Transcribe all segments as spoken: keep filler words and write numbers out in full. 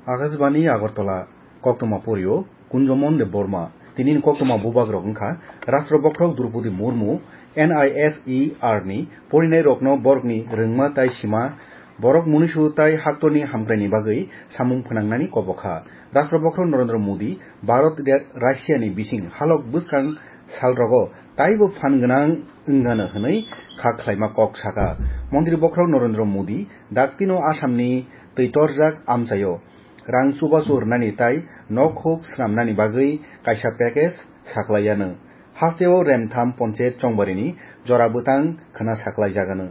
Akashbani Agartala, koktwma porio Kunjomon Debbarma. Tini ni koktwma bubak rok wngkha: Rashtra Bokhorok Droupadi Murmu N I S E R ni porinai rokno borokni rwngma tai sima, borok munisu tai haktorni hamkraini bagwi samung phnangnani kobokha. Rashtra Bokhorok Narendra Modi Bharat Russia ni bising halok bwskang salrogo taibo phan gwnang wngano hwnwi kha khlaima kok saka. Montri Bokhorok Narendra Modi daktino Assamni twitorjak amchaio rang chubachu rwnani tai nok huk swnamnani bagwi kaisa package saklaiyano. Hasteo remtham ponchayat chongbarini jora bwtang khna saklaijagano.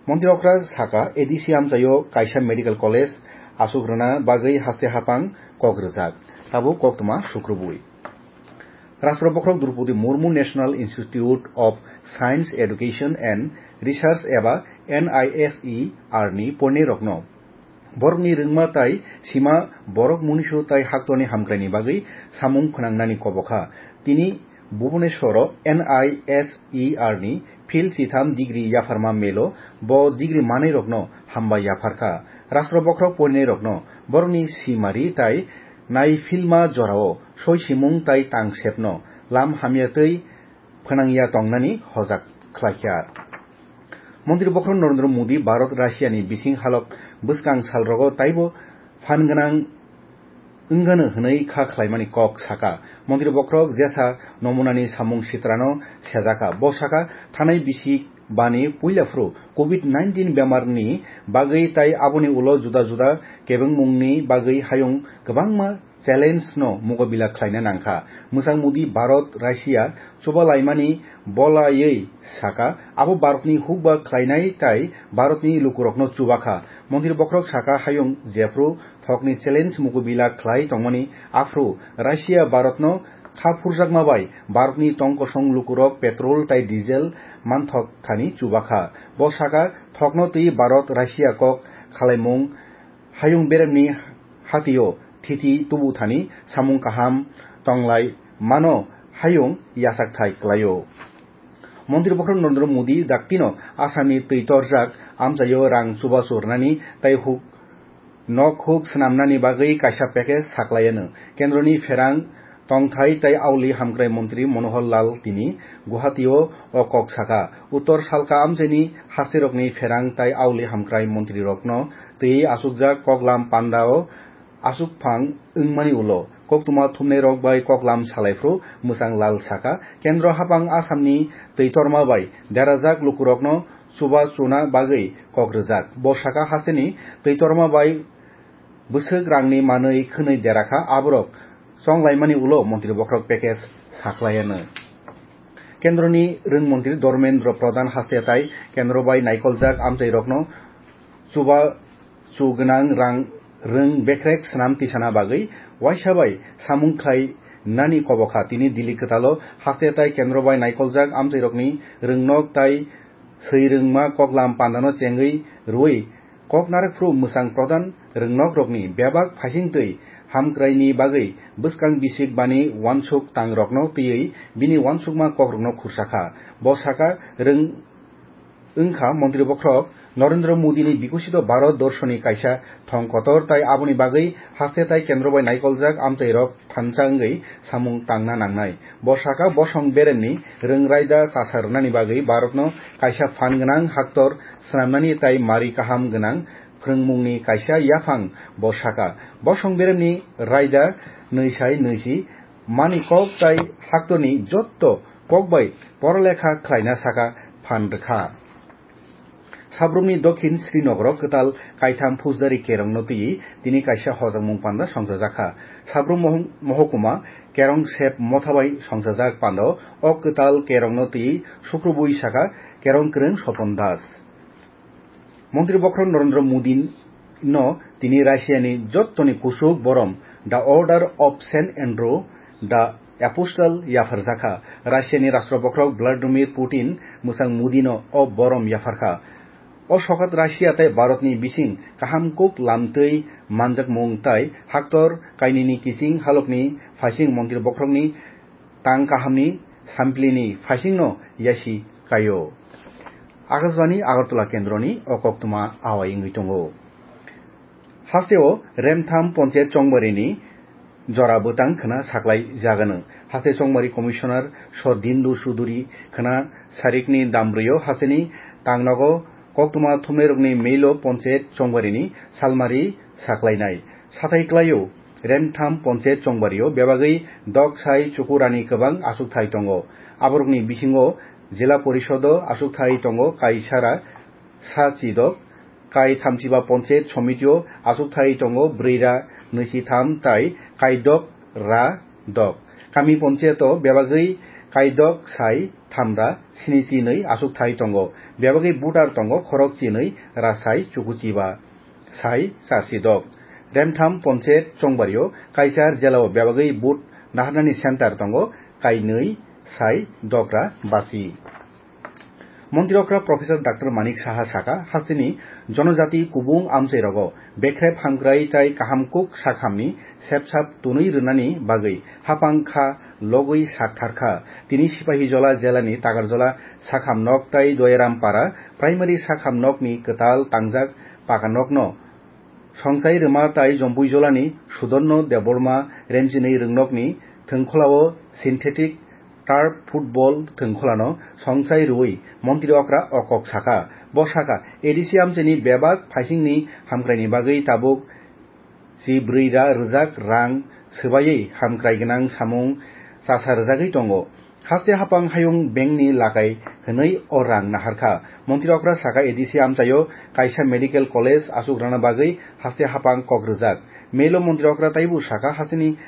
Montri okra saka, A D C amchaio kaisa medical college asuk rwna bagwi haste hapang kok rwjak. Tabuk koktwma sukrubui. Rashtra Bokhorok Droupadi Murmu National Institute of Science Education and Research eba N I S E R ni porinai rokno borokni rwngma tai sima, borok munisu tai haktorni hamkraini bagwi samung phnangnani kobokha. Tini Bhubaneswaro N I S E R ni phil chitham degree yapharma melo bo degree manai rokno hambai yapharkha. Rashtra Bokhorok porinai rokno borokni simari tai nai philma jorao soi simung tai tang sepno lam hamya tei phnangya tongnani hojak khlaikha. Montri Bokhorok Narendra Modi Bharat Russia ni bising halok bwskang salrogo taibo phan gwnang wngano hwnwi kha khlaimani kok saka. Montri Bokhorok jesa nomunani samung sitrano sejakha. Bo saka, thanai bisik bani puila phuru covid nineteen bemarni bagwi tai aboni ulo juda juda kebengmungni bagwi hayung kwbangma challenge no mukabila khlaina nangkha. Mwchang Modi Bharat Russia chubalaimani bolaiwi saka, abo Bharatni hukba khlainai tai Bharatni lukurokno chubakha. Montri Bokhorok saka, hayung jephru thokni challenge mukabila khlai tongmani, aphru Russia Bharatno kha phurjakma bai Bharatni tong kosong lukurok petrol tai diesel manthok thani chubakha. Bo saka, thokno twi Bharat Russia kok khalaimung hayung beremni hatio thiti tubu thani samung kaham tonglai mano hayung yachak thai klaio. Montri Bokhorok Narendra Modi daktino Assamni twi torjak amchaio rang chubachu rwnani tai huk nok huk swnamnani bagwi kaisa package saklaiyano. Kendroni pherang tongthai tai auli hamkrai montri Manohar Lal tini Guwahati-o o kok saka. Uttor salka amchaini hasterokni pherang tai auli hamkrai montrirokno twi achukjak koklam panda-o achukphang wngmani ulo koktwma thumnairok bai koklam salaiphru Mwchang Lal saka, Kendro hapang Assamni twi torma bai derajak lukurokno chuba chuna bagwi kok rwjak. Bo saka, hasteni twi torma bai bwswk rangni manwi khwnwi derakha, aborok chonglaimani ulo Montri Bokhorok package saklaiyano. Kendroni rwng montri Dharmendra Pradhan haste tai kendro bai naikoljak amchairokno chuba chu gwnang rang rwng bekrek swnam tisana bagwi waisa bai samung khlai nani kobokha. Tini Delhi kwtalo haste tai kendro bai naikoljak amchairokni rwngnok tai swi rwngma koklam pandano chengwi rwui kok narwkphru Mwchang Pradhan rwngnokrokni bebak phaising twi hamkraini bagwi bwskang bisik bani uansuk tangrokno twiwi bini uansukma kokrokno khursakha. Bo saka, rwng wngkha Montri Bokhorok Narendra Modini Bikoshito Bharat Dorshoni kaisa thong kotor tai aboni bagwi haste tai kendro bai naikoljak amchairok thansa wngwi samung tangna nangnai. Bo saka, bosong beremni rwng raida chasa rwnani bagwi Bharatno kaisa phan gwnang haktor swnamnani tai mari kaham gwnang phrwngmungni kaisa yaphang bo saka. Bosong beremni raida nwisai nwisi mani kok tai haktorni jotto kok bai porolekha khlaina saka phan rwkha. Sabrumni Dokhin Srinagar kwtal kaitham Phusdari Kerongno twi tini kaisa hojakmung panda songchajakha. Sabrum mohong-, mohokuma Kerong Sep motha bai songchajak pando o kwtal Kerongno twi sukrubui saka Kerong kwrwng Sopon Das. Montri Bokhorok Narendra Modi no tini Russia ni jottoni kusuk borom The Order of Saint Andrew the Apostle yapharjakha. Russia ni Rashtra Bokhorok Vladimir Putin Mwchang Modi no o borom yapharkha. O sokat Russia tai Bharat ni bising kaham kuk lamtwi manjakmung tai haktor kainini kiching halokni phaising Montri Bokhorokni tang kahamni samplini phaisingno yasi kaio. Akashbani Agartala kendroni o koktwma awai wngwi tongo. Hasteo Remtham Ponchet Chongbarini jora bwtang khna saklai jagano. Haste Chongmari Commissioner Sordindu Suduri khna sarikni damrio hasteni tangnogo koktwma thumnairokni meilo Ponchet Chongbarini salmari saklainai. Sathai klaio Remtham Ponchet Chongbario bebagwi dok sai chukurani kwbang asukthai tongo. Aborokni bisingo Jila Porisodo asukthai tongo kaisara sa chidok, kai thamchiba Ponchet Somitio asukthai tongo brwi ra nwi si tham tai kaidok ra dok. Kami Poncheto bebagwi kaidok sai tham ra sini si nwi asukthai tongo. Bebagwi butar tongo khorok chinwi ra sai chukuchiba sai char si dok. Remtham Ponchet Chongbario kaisar jelao bebagwi but naharnani center tongo kainwi sai dok ra basi. Montri okra Professor Doctor Manik Saha saka, hasteni jonojati kubung amchai rogo bekrep hamkrai tai kaham kuk sakhamni sepsap tunui rwnani bagwi hapang kha logwi sak thar kha. Tini Sipahijola jelani Takarjola sakham nok tai Doyarampara primary sakham nokni kwtal tangjak paka nokno Songchai rwma tai Jompuijolani Sudonno Debbarma remchinwi rwngnokni thwngkhwlao synthetic turf football thwngkhwlano songchai rwui montri okra o kok saka. Bo saka, A D C amchaini bebak phaisingni hamkraini bagwi tabuk si brwi ra rwjak rang swbaiwi hamkrai gwnang samung chasa rwjagwi tongo. Haste hapang hayung bengni lakai hwnwi o rang naharkha. Montri okra saka A D C amchaio kaisa medical college asuk rana bagwi haste hapang kok rwjak. Melo montri okra taibo saka hasteni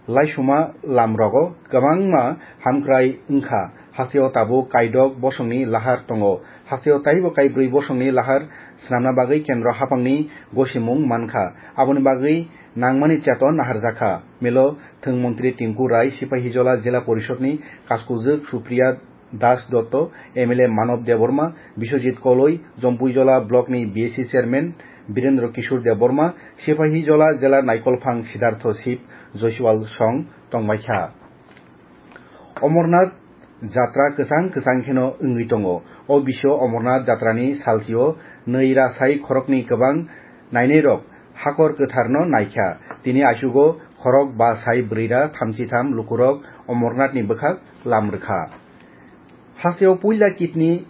laisuma lam rogo kwbangma hamkrai wngkha. Hasteo tabuk kaidok bosongni lahar tongo. Hasteo taibo kaibrwi bosongni lahar swnamna bagwi kendro hapangni gosimung mankha. Aboni bagwi nangmani cheton naharjakha. Melo thwng montri Tinku Rai, Sipahijola Jila Porishodni kaskujwk Supriya Das Dotto, M L A Manob Debbarma, Biswajit Koloi, Jompuijola Blockni B A C Chairman Birendra Kishore Debbarma, Sipahijola Jela Naikolphang Siddhartho Sip, Joshwal Song tongbaikha. Omornath jatra kwchang kwchang kheno wngwi tongo. O bisio Omornath jatrani salsio nwi ra sai khoroknwi kwbang nainairok hakor kwtharno naikha. Tini achugo khorok ba sai bwrwi ra thamchi tham lukurok Omornathni bwkhak lam rwkha. Hasteo puila kidney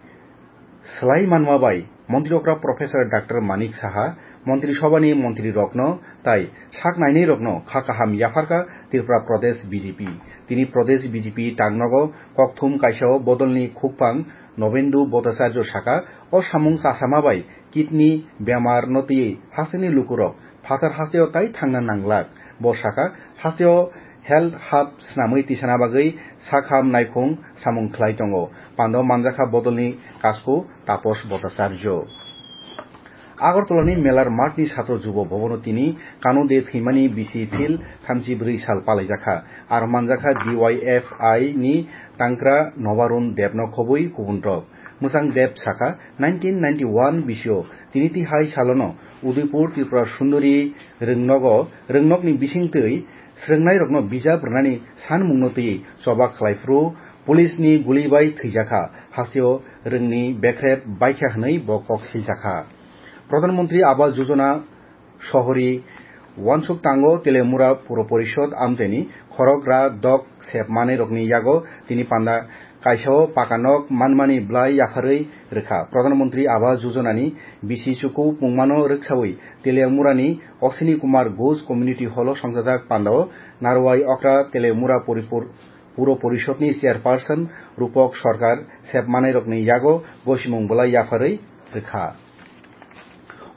swlai manma bai Montri okra Professor Doctor Manik Saha, Montri Sobhani montrirokno tai sak nainairokno kha kaham yapharkha Tripura Pradesh B J P. Tini Pradesh B J P tangnogo kokthum kaisao bodolni khukphang Nobendu Bhattacharya saka, o samung chasama bai kidney bemar no twiwi hasteni lukurok phatar hasteo tai thangna nanglak. Bo saka, hasteo health hub swnamwi tisana bagwi sakham naikhung samung khlai tongo. Pando manjakha bodolni kasku Taposh Bhattacharya. Agartalani Melar Mathni Satro Jubo Bhabono tini Kano de thwimani bisi phil thamchi bwrwi sal palaijakha. Aro manjakha D Y F I ni tangkra Nobarun Debno khobwi kubunrok. Mwchang Deb saka, nineteen ninety-one bisio tini tihai salono Udaipur Tripura Sundori rwngnogo, rwngnokni bisingtwi srwngnairokno bijap rwnani sanmungno twiwi choba khlaiphuru police ni guli bai thwijakha, hasteo rwngni bekrep baikha hwnwi bo kok siljakha. Pradhan Mantri Awas Yojana Sohori wansuk tango Teliamura Puro Porishod amchaini khorok ra dok sep manwi rokni yago tini panda kaisao paka nok manmani bwlai yapharwi rwkha. Pradhan Mantri Awas Yojana ni bisi chuku pungmano rwksawi Teliamurani Ashwini Kumar Ghosh Community Hall o songchajak pandao narwai okra Teliamura Poripur-, Puro Porishod ni Chairperson Rupok Sarkar sep manwi rokni yago gosimung bwlai yapharwi rwkha.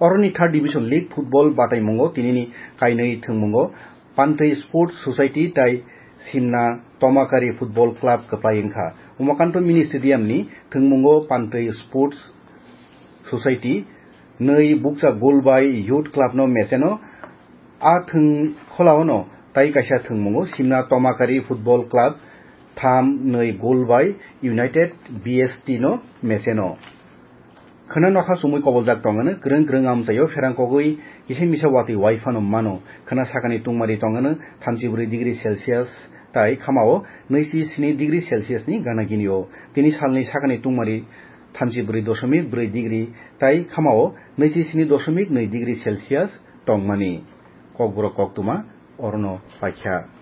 Oroni Third Division League Football bataimungo tinini kainwi thwngmungo Pantwi Sports Society tai Simna Tomakari Football Club kwplai wngkha. Umakanto Mini Stadium ni thwngmungo Pantwi Sports Society nwi bukcha goal bai Youth Club no mecheno. A thwng kholaono tai kaisa thwngmungo Simna Tomakari Football Club tham nwi goal bai United B S T no mecheno. Khwna nokha chumui koboljak tongano, kwrwng kwrwng amchaio pherang kogwi kisa misa watwi wai phano mano. Khwna sakani tungmari tongano thamchi bwrwi degree Celsius tai khamao nwi si sini degree Celsius ni gana ginio. Tini salni sakani tungmari thamchi bwrwi doshomik bwrwi degree tai khamao nwi si sini doshomik nwi degree Celsius tongmani. Kokborok koktwma orono paikha.